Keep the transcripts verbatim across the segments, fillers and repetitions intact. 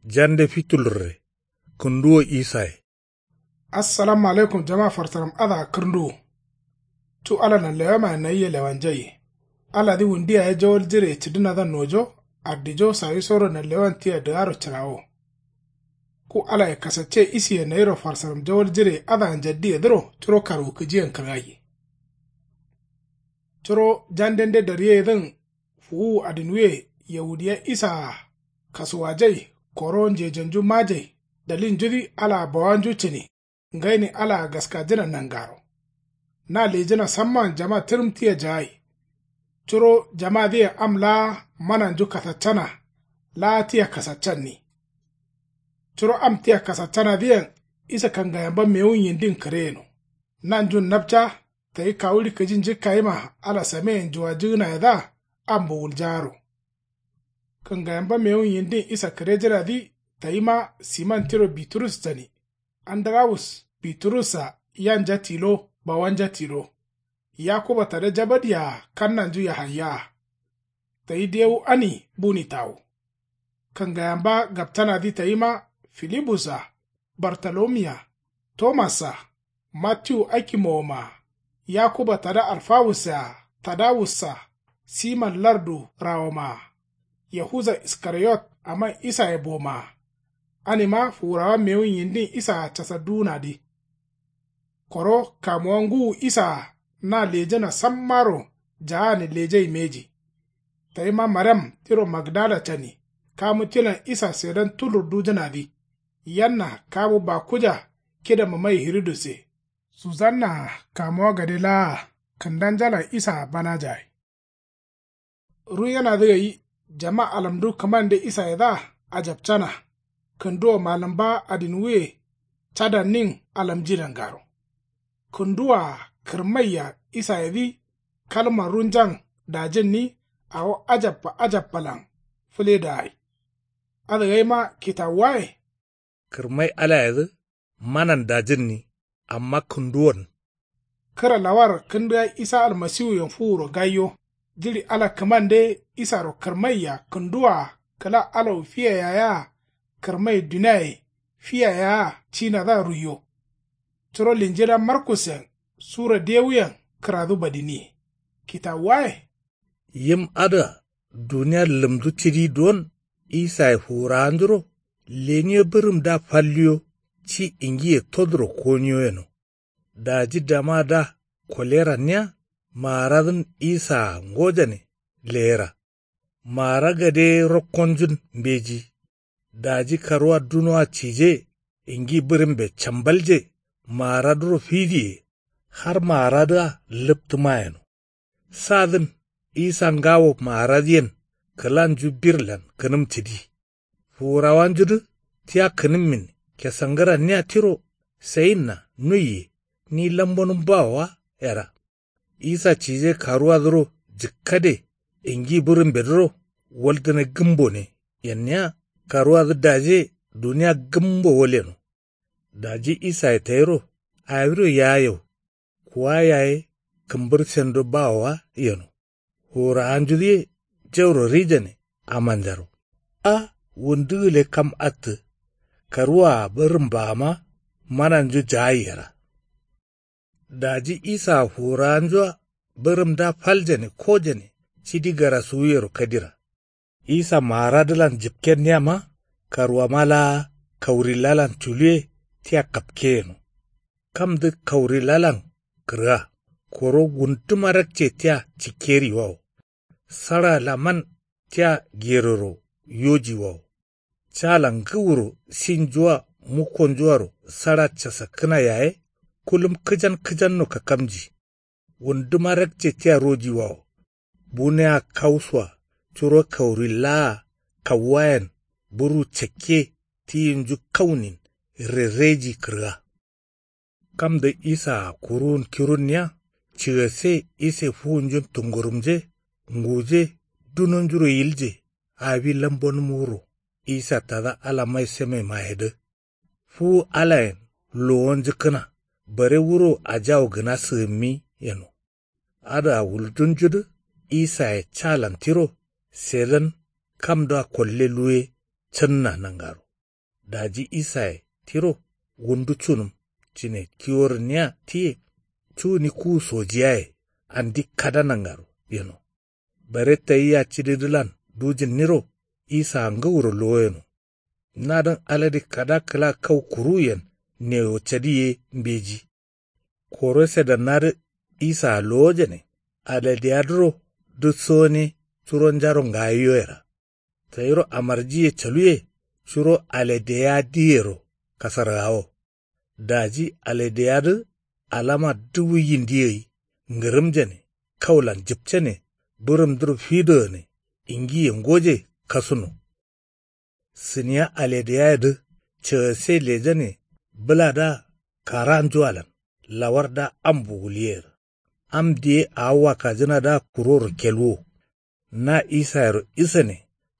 Jande fitulurre. Kǝnduwo isaye. Assalamu alaikum jama farsaram adǝa kǝrnduwu. Cu ala nanlewamaye nayia lewanjaiye. Aladǝ wundu yaye jawal jireye cǝdǝnadǝa nojo. Addijo sawisoro nanlewan tia dǝgaro cǝrawo. Ku alaye kasacce isiye nayiro farsaram jawal jireye adǝa njaddiyedǝro curo karwukǝjiyen kǝrgaiye. Curo jandende daryeyedǝn fuwuwu adinwuye yaudiya isaa kasuwajai koro njejenju majai. Dalilnjudǝ alaa bawanju cǝni. Ngaini alaa gaskajǝna nangaro. Na lejǝna samman jama tǝrǝm tia jagai. Curo jamadǝyen am laa mananju kasaccana. Laa tia kasaccanni. Curo am tia kasaccanadǝyen isa kangayamba mewun yindin kǝreyeno. Nanjun napca tayi kawuɍi kǝji njǝkkayima ala sameyen juwajǝgǝnayedǝa ambo wuljaaro. Kǝngayamba mewun yindin isa kǝrejǝnadǝ tayima siman tiro biturus cani. Andarawus biturussa yanja tilo bawanja tilo. Yakuba tada jabadiyaa kannanju yahayyaa. Tayi dewu ani buni tawu. Kǝngayamba gapcanadǝ tayima filibussa bartolomiya tomassa matiwu akimowomaa. Yakuba tada alfawussa tadawussa siman lardu rawomaa. Yahuza iskariyot aman isaye bomaa. Anima fuwurawa mewun yindin isaa casadduwunadǝ. Koro kamuwa ngǝwu isaa na lejǝna sammaro jaani lejai mbeji. Tayima mariam tiro magdala cani kamu tilan isa sedan tulurdujǝnadǝ. Yanna kamu bakuja kidama mai hirudusse. Suzannaa kamuwa gade laa kǝndanjalan isaa banajagai. Ruyenadǝ gai jama alamdu kǝmande isayedǝa ajapcana. Kǝnduwo malǝmba adinwuye cadannin alamji nangaro. Kǝnduwoa kǝrmaiya isayedǝ kalman runjan dajǝnni. Awo ajappa ajappalan fǝledagai. Adǝgaima kitawuwaye. Kǝrmai alayedǝ manan dajǝnni. Amma kǝnduwon. Kǝra lawar kǝndǝgai isa almasiwuyen fuwuro gaiyo. Jiɍi ala kǝmande isaro kǝrmaiya kǝnduwoa kǝla alawu fiya yayea kǝrmai duniaye fiya yayea cinadǝa ruiyo. Curo linjila markusen sura dewuyen kǝradu badiniye. Kitawuwaye. Yim adǝa dunia lǝmdu cidi duwon isaye fuwurawanjuro leniyo bǝrǝmdǝa falliyo ci ingiye toduro koniyo yeno. Daji damadǝa koleranniya maaradǝn isaa ngojane leyera. Maara gade ye rokkonjun mbeji. Daji karuwa dunoa cije ingi bǝrǝmbe cambalje maaradǝro fidiye. Har maaradǝa lǝptǝma yeno. Sadǝn isa ngawo maaradǝyen kǝlanju birlan kǝnǝm cǝdi. Fuwurawanjudǝ tia kǝnǝmmin kesangǝranniya tiro sayinna nuiye ni lambonǝm bawo wa yera. Isa cije karuwadǝro jǝkkade ingi bǝrǝmbedǝro waldǝne gǝmbone yenniya karuwadǝ daje dunia gǝmbo waleno. Daji isaye tayiro awiro yayew kuwa yaye kǝmbǝr sendo bawo wa yeno. Fuwurawanjudǝye jauro rijane amanjaro. A wundu gǝle kam attǝ karuwaa bǝrǝmbaama mananju jagai yera. Daji isaa fuwurawanjua bǝrǝmdǝa faljane kojane cidi garasuwuyero kadira. Isa maaradǝlan jǝpkenniyama karwama laa kaurilalan culuwe tia kapke yeno. Kamdǝ kaurilalan kǝrga koro wunduma rakce tia cikkeriwawo. Saɍa laman tia geroro yojiwawo. Calan ngǝwuro sinjua mukkonjuaro saɍa casakkǝna yaye kulum kǝjan kǝjanno kakkamji. Wunduma rakce tia rojiwawo. Bunea kausua curo kauri laa kauwayen buru cakke tiyinju kaunin rerreji kǝrga. Kamdǝ isaa kuruwun kirunniya cigasse ise fuwunjun tungurumje nguje dunonjuro yilje. Awi lambonǝm wuro isa tada ala mai seme mayedǝ fuwu alayen lowonjǝkkǝna bare wuro ajawu gǝna sǝgǝmmi yeno. Adǝa wuldunjudǝ isaye calan tiro sedan kamdǝa kolle luwe cǝnna nangaro. Daji isaye tiro wundu cunǝm cǝne kiworǝnniya tiye. Cuni kuwu sojiyaye andi kada nangaro yeno. Bare tayia cididǝlan dujǝnniro isaa ngǝwuro lowoyeno. Nadǝn alade kada kǝla kau kuruwuyen newo cadi ye mbeji. Koro sedannadǝ isaa lowojane aladeyadǝro dǝ sone curonjaro ngayiyoyera. Tayiro amarjiye caluye curo aladeyadiyero kasargawo. Daji aladeyadǝ alama duwu yindi gai ngǝrǝmjane kaulan jǝpcane bǝrǝmdǝro fidogane ingiye ngoje kasuno. Sǝniya aledeyayedǝ cagase lejane bǝladǝa karanjualan lawardǝa ambo wulyeyera. Am diye awo wakkajǝnadǝa kuroro kelwo. Na isayero isane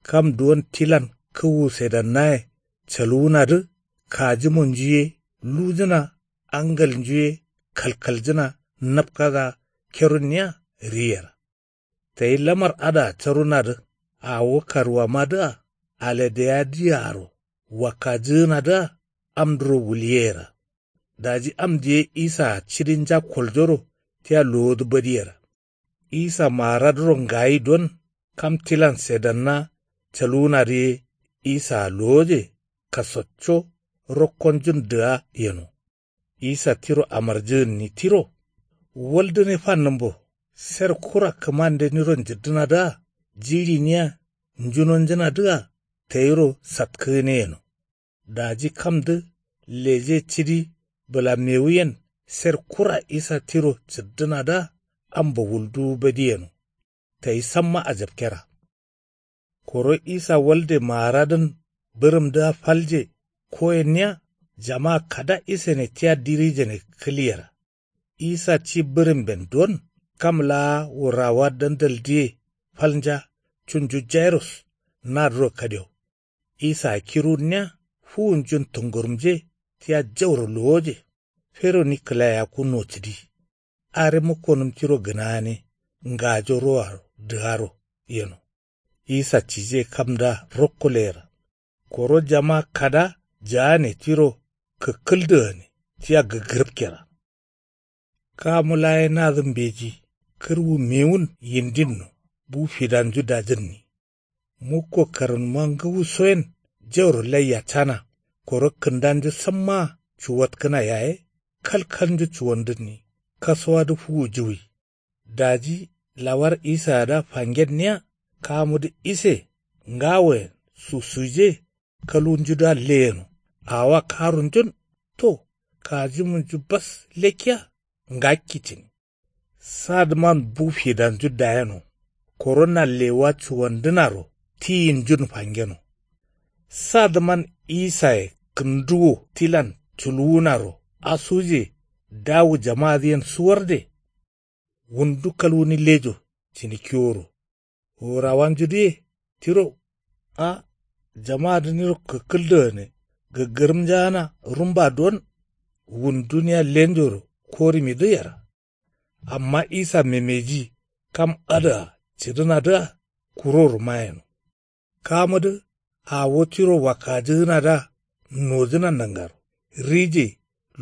kam duwon tilan kǝwu sedannaye caluwunadǝ kajimonju ye lujǝna angalnju ye kalkaljǝna napkadǝa kerunniya riyera. Tayi lamar adǝa carunadǝ awo karwamadǝa aladeyadǝaro wakkajǝgǝnadǝa amdǝro wulyeyera. Daji am diye isaa cidinja koljoro tia lowodǝ badiyera. Isa maaradǝro ngayi don kam tilan sedanna caluwunadǝ ye isaa lowoje kasacco rokkonjun dǝga yeno. Isa tiro amarjǝgǝnni tiro waldǝne fannǝmbo. Ser kura kǝmande niro njǝddǝnadǝa jiɍiniya njunonjǝnadǝa tayiro satkǝgǝne yeno. Daji kamdǝ leje cidi bǝlamewuyen ser kura isa tiro cǝddǝnadǝa ambo wulduwu badi yeno. Tayi samma ajapkera. Koro isa walde maaradǝn bǝrǝmdǝa falje koyenniya jama kada isane tia dirijane kǝlyera. Isa ci bǝrǝmben don kam laa wurawa dandaldǝye falnja cunju jairus nadǝro kadio. Isaa kirunniya fuwunjun tungurumje tia jauro lowoje. Feroni kǝlayakku nocǝdi. Are mukkonǝm tiro gǝnagane ngajo roaro dǝgaro yeno. Isa cije kamdǝa rokko leyera. Koro jama kada jaane tiro kǝkkǝldǝgane tia gǝggǝrǝpkera. Kamu laye nadǝ mbeji kǝrwu mewun yindinno bu fidanju dajǝnni. Mukko karnuma ngǝwusoyen jauro laiya cana koro kǝndanju sammaa cuwatkǝna yaye kalkalnju cuwandǝnni. Kasuwadǝ fuwujuwi. Daji lawar isayedǝa fangenniya kamudǝ ise ngawoyen susuje kalunjudǝa leyeno. Awowa karunjun to kajimunju bas lekkiya ngakki cǝni. Sadǝman bu fidanju dayeno koro nallewa cuwandǝnaro tiyinjun fangeno. Sadǝman isaye kǝnduwo tilan culuwunaro asuje dawu jamadǝyen suwarde. Wundu kalwuni lejo cǝni kiworo. Wurawanjudǝye tiro a jamadǝ niro kǝkkǝldǝgǝne gǝggǝrǝmjagǝna rumba don wunduniya lenjoro korǝmidǝ yera. Amma isa memeji kam adǝa cǝdǝnadǝa kuroro mayeno. Kamudǝ awo tiro wakkajǝgǝnadǝa nojǝna nangaro rije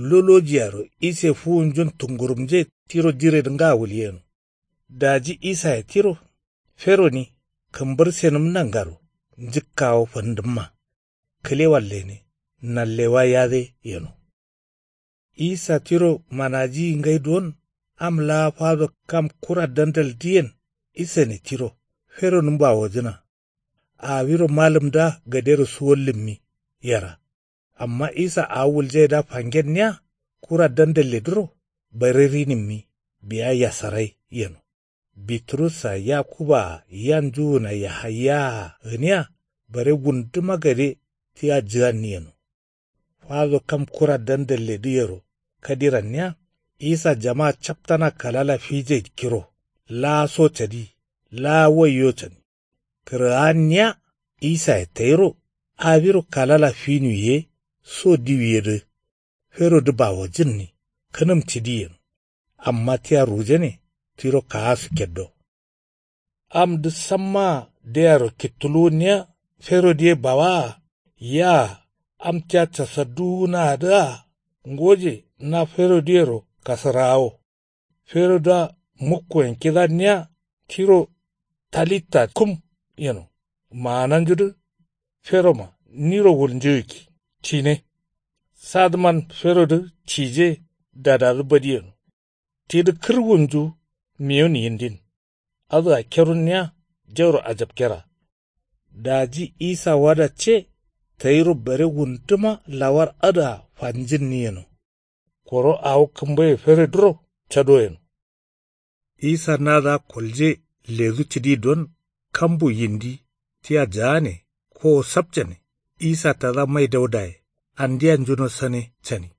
lolojiyaro ise fuwunjun tungurumje tiro jiredǝ nga wulyeno. Daji isaye tiro feroni kǝmbǝrsenǝm nangaro njǝkkawo fandǝmma. Kǝlewan lene nallewa yade yeno. Isa tiro manajiyi ngai don am laa fado kam kura dandaldǝyen isane tiro feronǝm bawojǝna. Awiro malǝmdǝa gadero suwallǝmmi yera. Amma isa awo wuljaidǝa fangenniya kura dandalledǝro bare rinǝmmi biya yasarai yeno. Biturus-a yakuba-a yanjuwun-a yahaya-a gǝniya bare wunduma gade tia jǝganni yeno. Fado kam kura dandalledǝyero kadiranniya isa jama captana kalala fije kiro laa so cadi laa waiyo cani. Kǝrgaanniya isaye tayiro awiro kalala finuwiye so diwiyedǝ ferodǝ bawojǝnni kǝnǝm cǝdiyen. Amma tia rujane tiro kaasu keddo. Amdǝ sammaa deyaro kittuluwunniya ferodǝ ye bawaa yaa Am tia casadduwunaadǝa ngoje na feroduyero kasǝraawo. Ferodǝa mukkoyen kidanniya tiro talitta kum yeno. Maananjudǝ feroma niro wulnjuyikki cine. Sadǝman ferodǝ cije dadadǝ badiyeno. Tidǝ kǝrwunju miyun yindin. Adǝa kerunniya jauro ajapkera. Daji isa wada ce tayiro bare wunduma lawar adǝa fanjinni yeno. Koro awo kǝmbaye feroduro cado yeno. Isa nadǝa kolje ledu cidi don kambu yindi tia jaane kowo sapcane. Isa tada mai daudaye andiya njuno sane cani.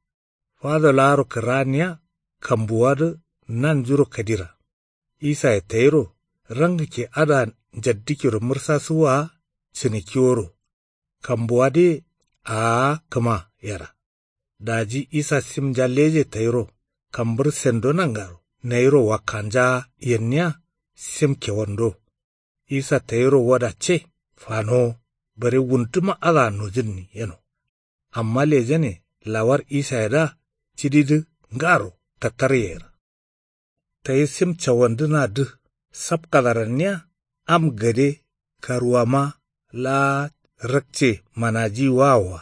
Fado laaro kǝraanniya kambuwadǝ nanjuro kadira. Isaye tayiro rangikke adǝa njaddikiro mǝrsasuwwa cǝnikkiworo. Kambuwadǝye aa kǝma yera. Daji isa simnja leje tayiro kambǝr sendo nangaro nayiro wakkanjaa yenniya sim kewando. Isa tayiro wada ce fanowo bare wunduma adǝa nojǝnni yeno. Amma lejane lawar isayedǝa cididǝ ngaro tattar yeyera. Tayi sim cawandǝnadǝ sapkadaranniya am gade karuwama laa rakce manajiyi wawoa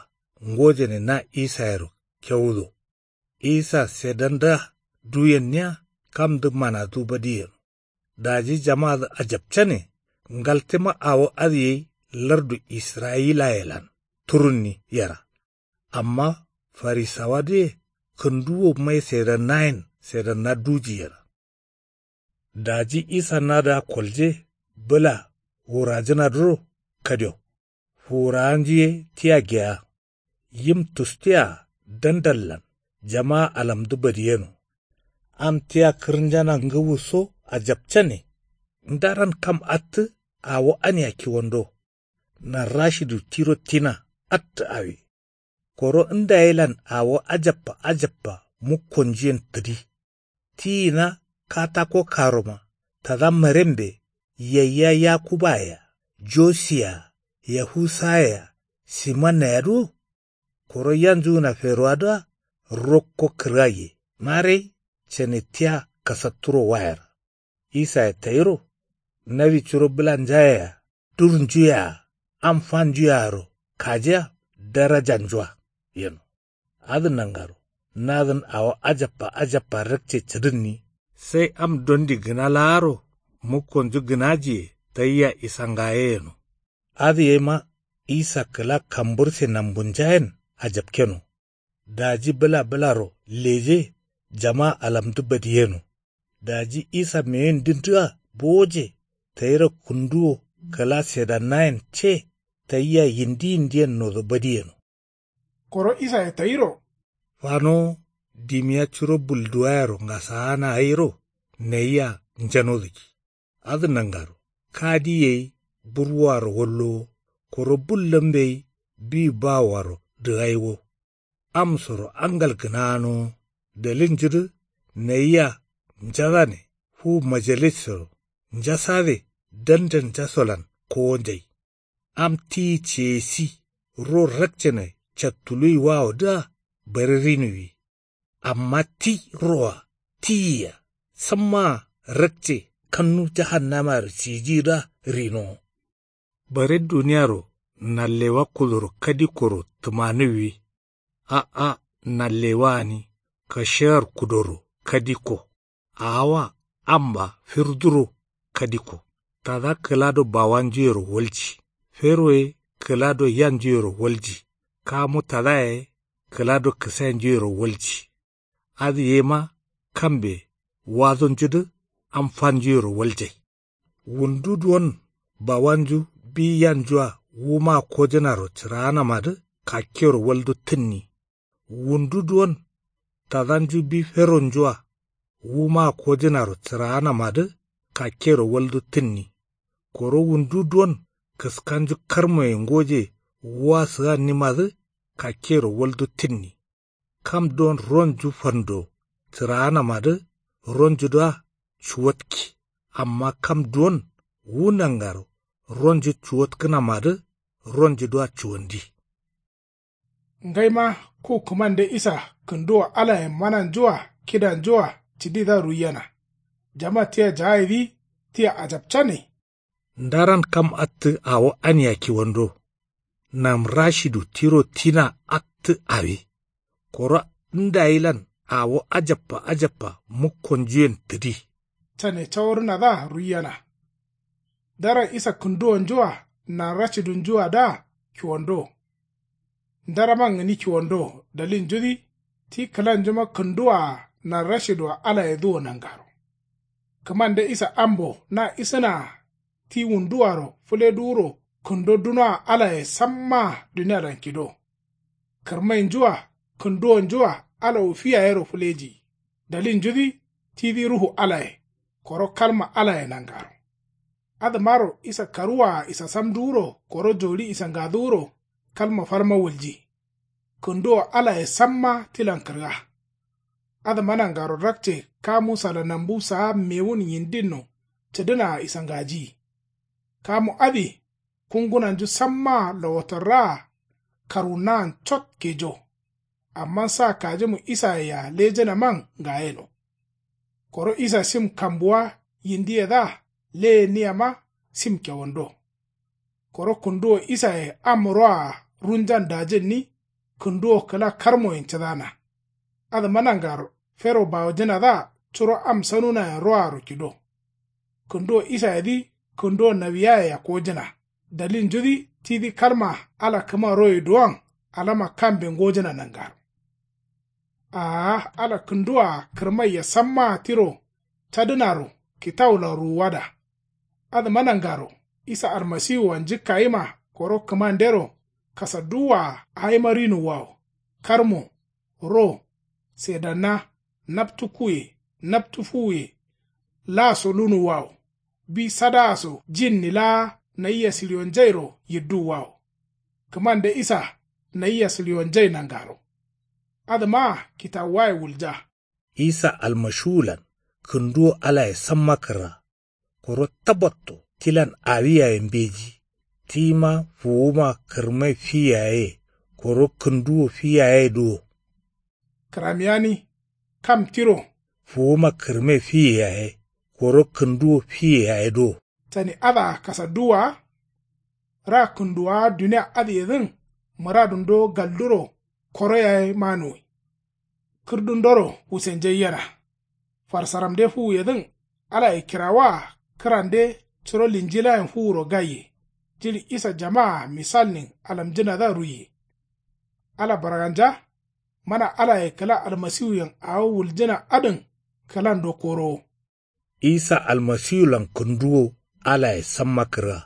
ngojane na isayero kewudo. Isa sedandǝa duyenniya kamdǝ manadu badi yeno. Daji jamadǝ ajapcane ngaltǝma awo adǝ yai lardu israyilayelan turunni yera. Amma farisawadǝye kǝnduwo mai sedannayen sedanna duji yera. Daji isa nadǝa kolje bǝla wurajǝnadǝro kadio. Fuwurawanju ye tia geya. Yim tustu yea dandallan jamaa alamdǝ badiyeno. Am tia kǝrnjana ngǝwuso ajapcane. Ndaran kam attǝ awo ania kiwando. Narrashidu tiro tina attǝ awi. Koro ndayelan awo ajappa ajappa mukkonjuyen tǝdi. Tiyina katako karoma tada marembe yayya yakubaye-a josiyea yahusaye-a simannayedǝ wo. Koro yanjugǝna ferowadǝa rokko kǝrgaiye marai cane tia kasatturo wayera. Isaye tayiro nawi curo bǝlanjayea durnjuyea am fanjuyearo kajiya darajanjua yeno. Adǝ nangaro nadǝn awo ajappa ajappa rakce cǝdǝnni. Sai am dondi gǝna laaro mukkonju gǝnajiye tayia isangaye yeno. Adǝ yaima isa kǝla kambǝrse nambunjayen ajapkeno. Daji bǝla bǝlaro leje jama alamdǝ badiyeno. Daji isa meyindindǝa bowoje tayiro kǝnduwo kǝla sedannayen ce tayia yindi yindiyen nodo badiyeno. Koro isaye tayiro fanowo dimiya curo bulduwayero ngasaana gairo nayia njanodǝ ki. Adǝ nangaro kadi gai burwowaro wallowo koro bullǝmbe gai bi bawowaro dǝgaiwo. Amsoro angal gǝnanowo dalilnjudǝ nayia njasane fu majalisoro njasade dandal njasolan kowonjai. Am tiyi ceyesi ro rakcene cattuluwi wawodǝa bare rinuwwi. Amma ti roa tiyia sammaa rakce kannu jahannamaro cijiyidǝa rinowo. Bare duniyaro nallewa kudoro kadikkoro tǝmanuwwi. A'a nallewa gǝni kashewar kudoro kadikko. Awoa amba firduro kadikko. Tada kǝla do bawanjuyero walji. Fero ye kǝla do yanjuyero walji. Kamu tada ye kǝla do kǝsainjuyero walji. Adǝ yema kambe wadonjudǝ am fanjuyero waljai. Wundu duwon bawanju bi yanjua wuma kojǝnaro cǝraanamadǝ kakkero waldu tǝnni. Wundu duwon tadanju bi feronjua wuma kojǝnaro cǝraanamadǝ kakkero waldu tǝnni. Koro wundu duwon kǝskanju karmoye ngoje wua sǝgannimadǝ kakkero waldu tǝnni. Kam duwon ronju fando cǝraanamadǝ ronjudǝa cuwatki. Amma kam duwon wu nangaro ronju cuwatkǝnamadǝ ronjudǝa cuwandi. Ngaima ku kǝmande isa kǝnduwo alayen mananju-a kidanju-a cididǝa ruiyena. Jama tia jaayidǝ tia ajapcane. Ndaran kam attǝ awo ania kiwando. Nam rashidu tiro tina attǝ awi. Koro ndayilan awo ajappa ajappa mukkonjuyen tǝdi. Cane caworǝnadǝa ruiyena. Ndaran isa kǝnduwonju-a nan rashidunju-adǝa kiwando. Ndaraman gǝni kiwando. Dalilnjudǝ ti kǝlanjuma kǝnduwaa nan rashidu-a alayedǝ wo nangaro. Kǝmande isa ambo na isǝnaa ti wunduwaro fǝleduwuro kǝndo dunoa alaye sammaa dunialan kido. Kǝrmainju-a kǝnduwonju-a ala wo fi yayero fǝleji. Dalilnjudǝ tidǝ ruhu alaye koro kalma alaye nangaro. Adǝmaro isa karuwaa isasamdǝwuro koro joli isangadǝwuro kalma falma wulji. Kǝnduwo alaye samma tilan kǝrga. Adǝma nangaro rakce kamu sala nambu saa mewun yindinno cǝdǝnaa isangajiyi. Kamu adǝ kungunanju sammaa lowotorraa karwunnaan cot kejo. Amma sa kajimu isaye-a lejǝnaman ngayeno. Koro isa sim kambuwa yindiyedǝa leyeniyama sim kewando. Koro kǝnduwo isaye am roa-a runjan dajǝnni kǝnduwo kǝla karmoyen cǝdana. Adǝma nangaro fero bawojǝnadǝa curo am sanunayen roaro kido. Kǝnduwo isayedǝ kǝnduwo nawiyaye yakkojǝna. Dalilnjudǝ tidǝ kalma ala kǝma roye duwon alama kambe ngojǝna nangaro. Aa ala kǝnduwaa kǝrmaiye sammaa tiro cadǝnaro kitawulan ruwuwada. Adǝma nangaro isa almasiwuwa njǝkkayima koro kǝmandero kasadduwwaa awima rinuwwawo. Karmo, ro, sedanna, naptu kuye, naptu fuwuye, laa so lunuwwawo. Bi sadaa so jinni laa nayia sǝlionjairo yidduwwawo. Kǝmande isa nayia sǝlionjai nangaro. Adǝmaa kitawuwaye wulja. Isa almashiwulan kǝnduwo alaye samma kǝrra. Koro tabbatto tilan awi yaye mbeji. Tima fuwuma kǝrmai fi yaye koro kǝnduwo fi yaye duwo. Kǝramiyani kam tiro fuwuma kǝrmai fiye yaye koro kǝnduwo fiye yaye duwo. Cani adǝa kasadduwwa. Ra kǝnduwwa dunia adǝyedǝn mǝradundo galduro koro yaye manuwi. Kǝrdundoro wusenjai yena. Farsaramde fuwuyedǝn alaye kirawaa kǝrande curo linjilayen fuwuro gaiye. Jiɍi isa jamaa misalnin alamjǝnadǝa ruiye. Ala barganja mana alaye kǝla almasiwuyen awo wuljǝna adǝn kǝlando korowo. Isa almasiwulan kǝnduwo alaye samma kǝrga.